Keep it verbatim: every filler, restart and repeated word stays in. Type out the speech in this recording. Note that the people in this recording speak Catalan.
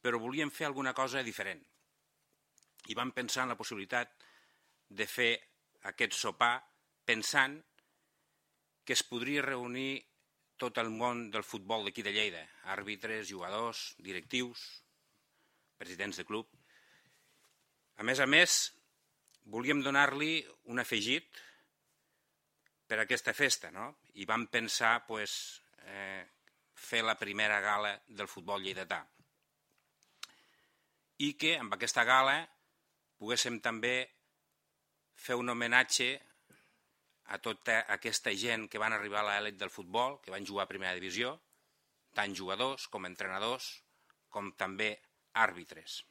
però volíem fer alguna cosa diferent. I vam pensar en la possibilitat de fer aquest sopar pensant que es podria reunir tot el món del futbol d'aquí de Lleida, àrbitres, jugadors, directius, presidents de club. A més a més, volíem donar-li un afegit per a aquesta festa, no? I vam pensar pues, eh, fer la primera gala del futbol lleidatà. I que amb aquesta gala poguéssim també fer un homenatge a tota aquesta gent que van arribar a l'elit del futbol, que van jugar a primera divisió, tant jugadors com entrenadors, com també àrbitres.